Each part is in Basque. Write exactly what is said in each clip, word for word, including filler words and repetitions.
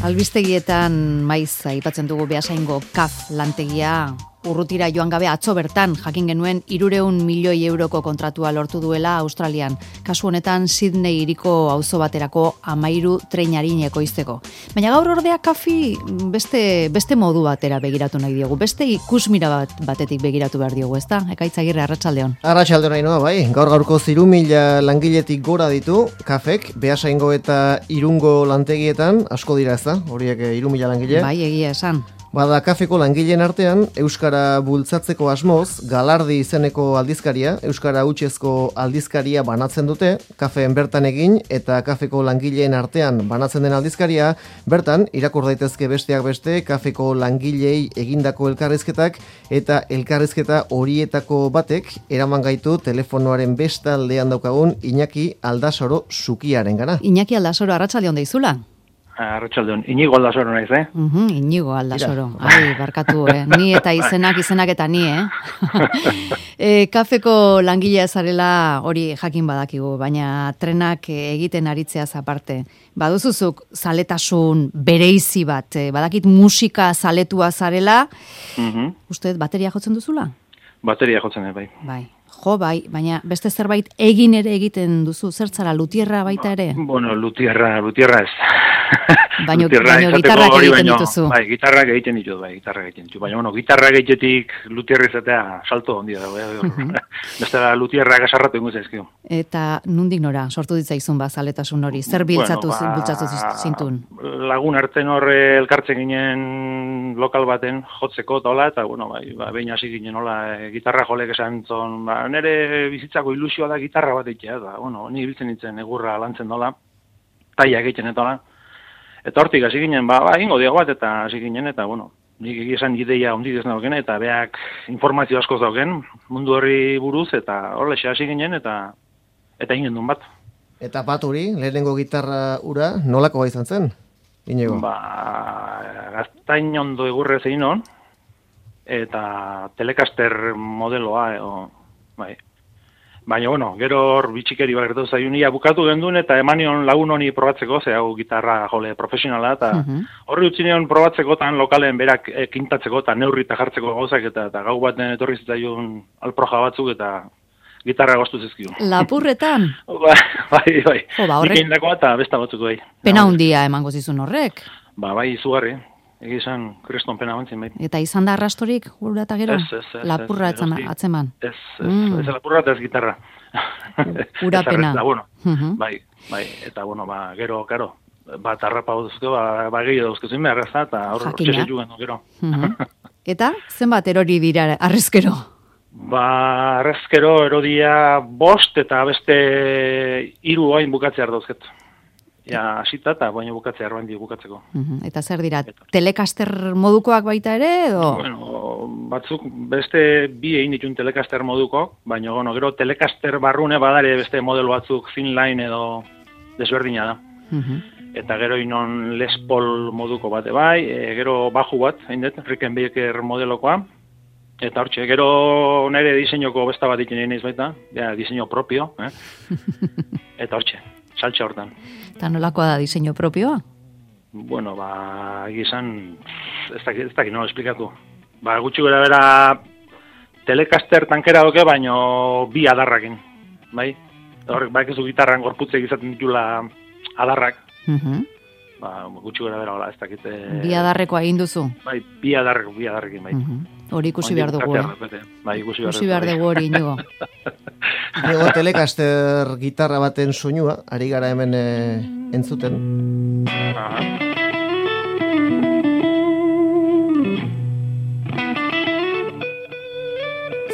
Albistegietan maiz aipatzen dugu Beasaingo kaf lantegia. Urrutira joan gabe atzo bertan jakin genuen hirurehun milioi euroko kontratua lortu duela Australian. Kasu honetan Sydney hiriko auzo baterako hamairu treinari ekoizteko. Baina gaur ordea kafi beste beste modu batera begiratu nahi diogu. Beste ikusmira bat, batetik begiratu behar diogu, ezta? Ekaitz Agirre, arratsaldeon. Arratsaldeon Ainhoa, bai. Gaur gaurko hiru mila langiletik gora ditu kafek Beasaingo eta Irungo lantegietan, asko dira, ezta? Horiek hiru mila langile. Bai, egia esan. Bada kafeko langileen artean, Euskara bultzatzeko asmoz, Galardi izeneko aldizkaria, Euskara hutsezko aldizkaria banatzen dute, kafeen bertan egin eta kafeko langileen artean banatzen den aldizkaria, bertan, irakur daitezke besteak beste, kafeko langilei egindako elkarrizketak eta elkarrizketa horietako batek eraman gaitu telefonoaren bestaldean daukagun Iñaki Aldasoro Zukiaren gana. Iñaki Aldasoro, arratsaldeon deizula. Arratsaldeon, Inigo Aldasoro naiz, eh? Uh-huh, Inigo Aldasoro. Ai, barkatu, eh? Ni eta izenak, izenak eta ni, eh? e, kafeko langilea zarela hori jakin badakigu, baina trenak egiten aritzeaz aparte. Baduzuzuk zaletasun bereizi bat, eh? Badakit musika zaletua zarela, uh-huh. Uste bateria jotzen duzula? Bateria jotzen, bai. Bai. Jo, bai, baina beste zerbait egin ere egiten duzu, zertzara, lutierra baita ere? Bueno, lutierra, lutierra ez. Baina gitarrak egiten dituzu. Bai, gitarrak egiten ditut, bai, gitarrak egiten ditut. Baina, bueno, gitarrak egitetik lutierra izatea salto ondia da, bai. Bestela lutierrak asarratu ingo zaizkio. Eta nundik nora, sortu ditzaizun ba, zaletasun hori? Zer biltzatu bueno, ba, bultzatu zintun? Lagun arten horre elkartzen ginen lokal baten jotzeko eta hola, eta, bueno, bai, ba, behin hasi ginen hola, e, gitarra jolek esan zon, ba, nire bizitzako ilusioa da gitarra bat egitea, eta, bueno, ni biltzen nintzen egurra lantzen dola, taia egiten eta hola. Eta hortik hasi ginen, ba, ba, ingo diago bat, eta hasi ginen, eta, bueno, nik egizan ideia ondidez nauken, eta beak informazio askoz dauken, mundu horri buruz, eta horlexe hasi ginen, eta eta ingen duen bat. Eta bat hori, lehenengo gitarra ura, nolako izan zen, Inigo? Ba, gaztain ondo egurre zein hon, eta Telecaster modeloa, e, o, bai. Baina, bueno, gero hor bitxikeri bat gertatu zaiunia bukatu gendun eta emanion lagun honi probatzeko, ze hau gitarra jole profesionala, eta uh-huh. Horri utzineon probatzeko tan lokalen berak e, kintatzeko eta neurri eta jartzeko gauzak, eta, eta gau baten etorri zitzaiun alproja batzuk eta gitarra goztu zizkiu. Lapurretan? Ba, bai, bai. Jo, ba, horrek... Nik egindako eta besta batzuk bai. Pena hundia emango zizun horrek? Ba, bai, izugarri. Egizan, kriston pena bantzin, bai. Eta izan da arrastorik, ura eta gero? Ez, ez, ez. Lapurra ez, ez, atzeman? Ez, ez, mm. ez lapurra eta ez gitarra. Ura pena. Bueno, uh-huh. Bai, bai, eta, bueno, ba, gero, karo, bat arrapa duzke, ba, ba gehiago dauzkezun behar ez da, eta hor txese juguen, gero. Uh-huh. Eta, zenbat erori dira arrezkero? Ba, arrezkero erodia bost eta beste hiru hain bukatzea dauzket. Ja, asita eta baina bukatzea erban di bukatzeko. Uh-huh. Eta zer dira, Telecaster modukoak baita ere, edo? Bueno, batzuk beste bi egin ditun Telecaster moduko, baina bueno, gero Telecaster barrune badare beste modelo batzuk Finline edo desberdina da. Uh-huh. Eta gero inon Les Paul moduko bate bai, e, gero baju bat, hain dut, Rickenbacker modelokoa, eta hortxe, gero nire diseinoko besta bat ikin egin baita, ja, diseño propio, eh? Eta hortxe, saltxe hortan. Eta nolakoa da diseño propioa? Bueno, ba, egizan, ez dakit, ez dakit, no, esplikatu. Ba, gutxi gara bera Telecaster tankera doke, baino bi adarrakin, bai? Horrek, ba, ekizu gitarran gorputze izaten ditula adarrak. Uh-huh. Ba, gutxi gara bera, ez dakit. E... Bi adarrekoa egin duzu? Bai, bi adarrek, bi adarrekin, bai. Uh-huh. Hori ikusi behar dugu, eh? Bai, ikusi behar dugu hori, Inigo. Inigo, Telecaster gitarra baten soinua, ari gara hemen e, entzuten. Aha.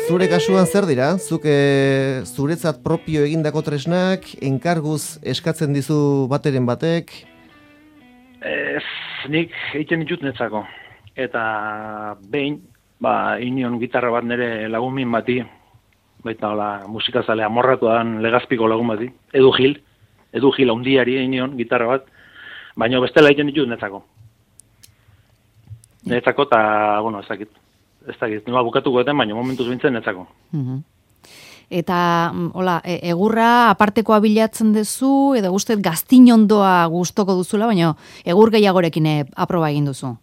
Zure kasuan zer dira? Zuk e, zuretzat propio egindako tresnak, enkarguz eskatzen dizu bateren batek? Ez, nik egiten ditut netzako. Eta behin, ba, inion gitarra bat nire lagun min bati, baita hola, musikazale amorratu dan legazpiko lagun bati, Edu Gil, Edu Gil haundiari inion gitarra bat, baina bestela egiten ditut netzako. Netzako eta, bueno, ez dakit. Ez dakit, nola bukatuko eten, baina momentuz bintzen netzako. Uh-huh. Eta, hola, e, egurra apartekoa bilatzen duzu, edo guztet gaztinondoa gustoko duzula, baina egur gehiagorekin e, aproba egin duzu.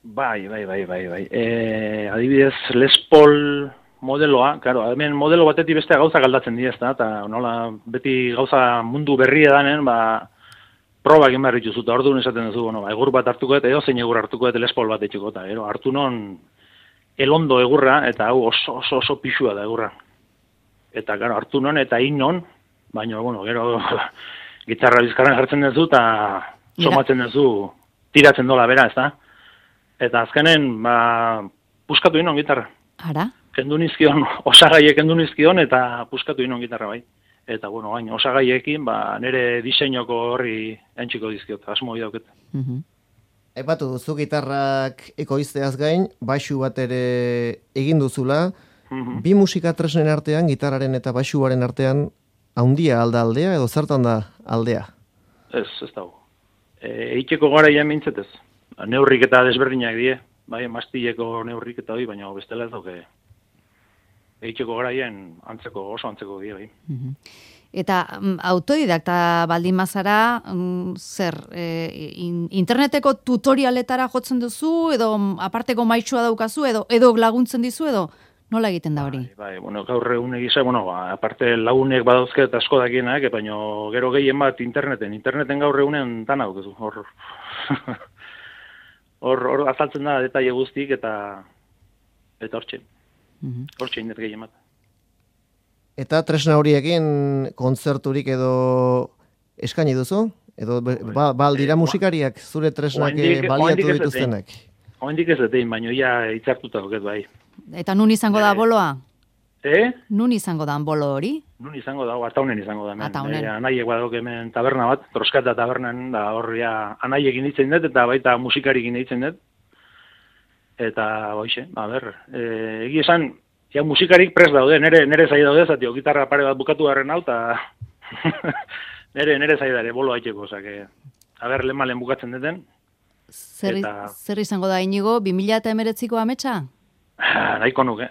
Bai, bai, bai, bai, bai. E, adibidez, Les Paul modeloa, claro, hemen modelo batetik bestea gauza galdatzen dira, ezta, eta nola beti gauza mundu berria danen, ba, proba egin behar dituzu, eta orduan esaten duzu, bueno, ba, egur bat hartuko eta edo zein egur hartuko eta Les Paul bat etxeko, eta gero, hartu non elondo egurra, eta hau oso, oso, oso pixua da egurra. Eta, claro, hartu non eta hin non, baina, bueno, gero, gitarra bizkarren jartzen duzu, eta somatzen duzu, tiratzen dola bera, ezta? Eta azkenen, ba, puskatu inon gitarra. Ara? Kendu nizkion, osagaiek kendu nizkion, eta puskatu inon gitarra bai. Eta, bueno, gain, osagaiekin, ba, nire diseinoko horri entxiko dizkiot, asmo idauket. Mhm. Aipatu duzu gitarrak ekoizteaz gain, baixu bat ere egin duzula, Mhm. bi musika tresnen artean, gitarraren eta baixuaren artean, haundia alda aldea edo zertan da aldea? Ez, ez dago. E, eiteko gara ia mintzetez. Neurrik eta desberdinak die, bai, mastileko neurrik eta hori, baina bestela ez dauke. Eiteko garaien antzeko, oso antzeko die, bai. Mhm. Eta mm, autodidakta baldin mazara, mm, zer, e, in, interneteko tutorialetara jotzen duzu, edo mm, aparteko maitsua daukazu, edo edo laguntzen dizu, edo nola egiten da hori? Bai, bai, bueno, gaur egun egisa, bueno, ba, aparte lagunek badauzke eta asko dakienak, baina gero gehien bat interneten, interneten gaur egunen tan hau, hor, hor, hor azaltzen da detaile guztik eta eta hortxe, Mhm. hortxe indet gehien bat. Eta tresna horiekin kontzerturik edo eskaini duzu? Edo be- ba, ba aldira musikariak zure tresnak Oraindik- eh, baliatu oraindik ez dituztenak? Oraindik ez dut egin, baina ja hitzartuta dauket bai. Eta nun izango da Eh, boloa? Eh? Nun izango da bolo hori? Nun izango da, ataunen izango da hemen. Ataunen. Eh, anaiek badauk hemen taberna bat, troskata tabernan, da horria anaiekin ditzen dut, eta baita musikarikin ditzen dut. Eta, boixe, a ber, e, egi esan, ja musikarik prest daude, nere, nere zai daude, zati, gitarra pare bat bukatu garren hau, eta nere, nere zai dare, bolo haiteko, osake, a ber, lehen malen bukatzen duten. Zer, Eta- zer izango da inigo, bi mila hemeretziko ametsa? Ah, nahiko nuke.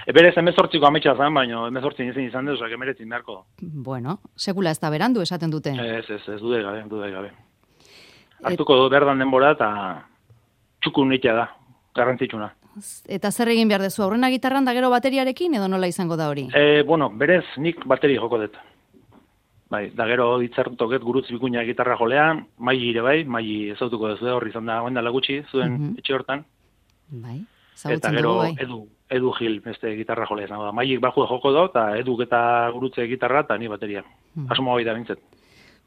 Eberez emezortziko ametsa zen, baina emezortzin izin izan dut, osake, meretzin beharko. Bueno, sekula ez da berandu esaten dute. Ez, ez, ez, dude gabe, dude gabe. Hartuko du berdan denbora, eta txukun nitea da, garrantzitsuna. Eta zer egin behar dezu, aurrena gitarran da gero bateriarekin, edo nola izango da hori? E, bueno, berez nik bateri joko dut. Bai, da gero hitzartutoket gurutz bikuina gitarra jolean, maili ere bai, maili ezautuko duzu horri izan da goenda gutxi zuen Mhm. etxe hortan. Bai, Eta zagutzen gero dugu bai. edu, edu gil beste gitarra jolea izango da. Mailik baju joko da, eta eduk eta gurutze gitarra, eta ni bateria. Mhm. Asmo hori da bintzet.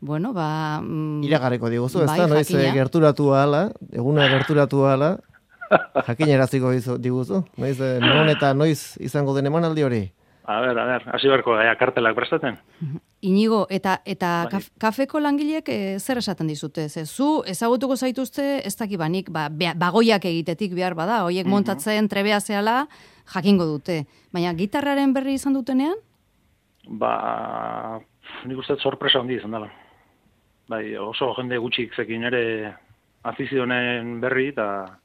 Bueno, ba... Mm, Iragarriko diguzu, ez bai, da, noiz eh, jakina. gerturatu ahala, eguna gerturatu ahala, jakinaraziko dizu- diguzu, noiz, eh, non eta noiz izango den emanaldi hori? A ber, a ber, hasi beharko da, kartelak prestatzen. Inigo, eta eta Bai. kaf, kafeko langileek eh, zer esaten dizute? Ze, zu ezagutuko zaituzte, ez daki banik, ba, bea- bagoiak egitetik behar bada, hoiek montatzen trebea zehala, jakingo dute. Baina gitarraren berri izan dutenean? Ba, nik uste dut sorpresa handi izan dela. Bai, oso jende gutxik zekin ere afizionen berri, eta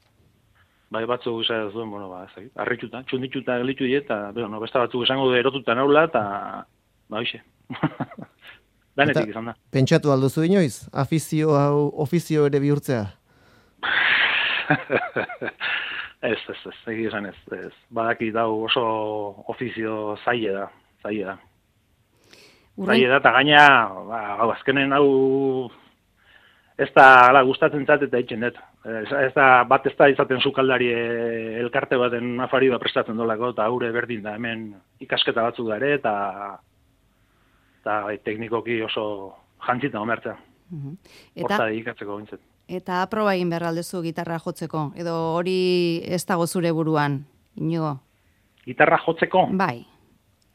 bai batzuk izan zuen, bueno, ba, ez dakit, harrituta, txundituta gelitu die, eta, bueno, beste batzuk esango du erotuta naula, eta, ba, hoxe. Danetik izan da. Pentsatu alduzu inoiz, afizio hau ofizio ere bihurtzea? ez, ez, ez, egia esan ez, ez. Badaki dau oso ofizio zaile da, zaile da. Zaile da, eta gaina, ba, hau, azkenen hau ez da ala, gustatzen zat eta itxen dut. Ez, ez da, bat ez da izaten sukaldari eh, elkarte baten afari bat prestatzen dolako, eta haure berdin da hemen ikasketa batzuk da ere, eta eta bai, teknikoki oso jantzita omertzea. Mhm. Horta Eta, dedikatzeko bintzet. eta aproba egin behar aldezu gitarra jotzeko, edo hori ez dago zure buruan, Inigo? Gitarra jotzeko? Bai,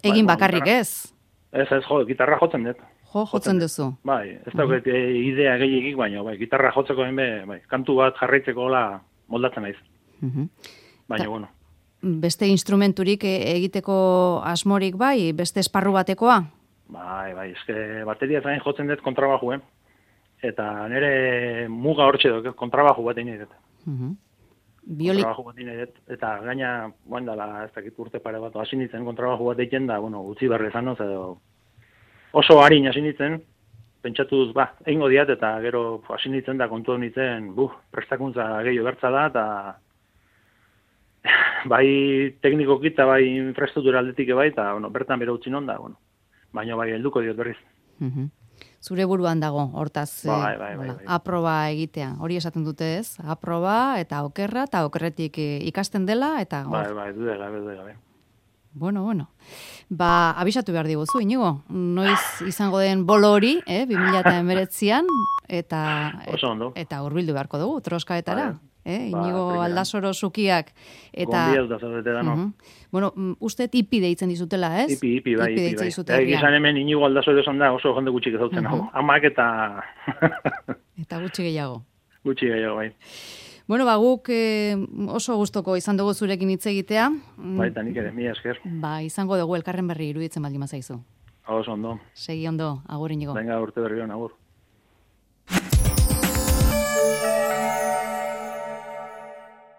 egin bueno, bakarrik gitarra- ez? Ez, ez, jo, gitarra jotzen dut. Jo, jotzen duzu. Bai, ez dauket eh, idea gehiagik, baina bai, gitarra jotzeko hainbe, bai, kantu bat jarraitzeko hola moldatzen naiz. Mhm. Baina, Ta- bueno, Beste instrumenturik e- egiteko asmorik bai, beste esparru batekoa? bai, bai, eske bateria zain jotzen dut kontrabajuen. Eta nire muga hortxe dut, kontrabaju bat egin dut. Mhm. Bioli... kontrabajo bat inet, eta gaina, guain dala, ez dakit urte pare bat, hasi nintzen kontrabajo bat egiten da, bueno, utzi berri zanoz, edo oso harin hasi nintzen, pentsatuz, ba, egingo diat, eta gero hasi nintzen da, kontu nintzen, buh, prestakuntza gehiago bertza da, eta bai teknikoki eta bai infrastruktura aldetik bai, eta bueno, bertan bere utzi non da, bueno, baina bai helduko diot berriz. Mhm. Zure buruan dago, hortaz, bai, bai, bai, bai. aproba egitea. Hori esaten dute ez? Aproba eta okerra, eta okerretik ikasten dela, eta... Bai, bai, dude gabe, dude gabe. Bueno, bueno. Ba, abisatu behar diguzu, Inigo. Noiz izango den bolo hori, eh, bi mila hemeretzian, eta... Oso ondo. Eta hurbildu beharko dugu, troskaetara. Bai. Eh, Ba, Inigo primeran. Aldasoro zukiak. Eta... Gonbidatuta zaudete da, no? Uh-huh. Bueno, uste ipi deitzen dizutela, ez? Ipi, ipi, bai, ipi, bai. dizute Eta herrian. egizan hemen inigo aldazore esan da, oso jende gutxik ezautzen, uh -huh. Amak eta... Eta gutxi gehiago. Gutxi gehiago, bai. Bueno, ba, guk eh, oso gustoko izan dugu zurekin hitz egitea. Bai, eta nik ere, mila esker. Ba, izango dugu elkarren berri iruditzen baldin bazaizu. Oso ondo. Segi ondo, agur Inigo. Venga, urte berri hon, agur.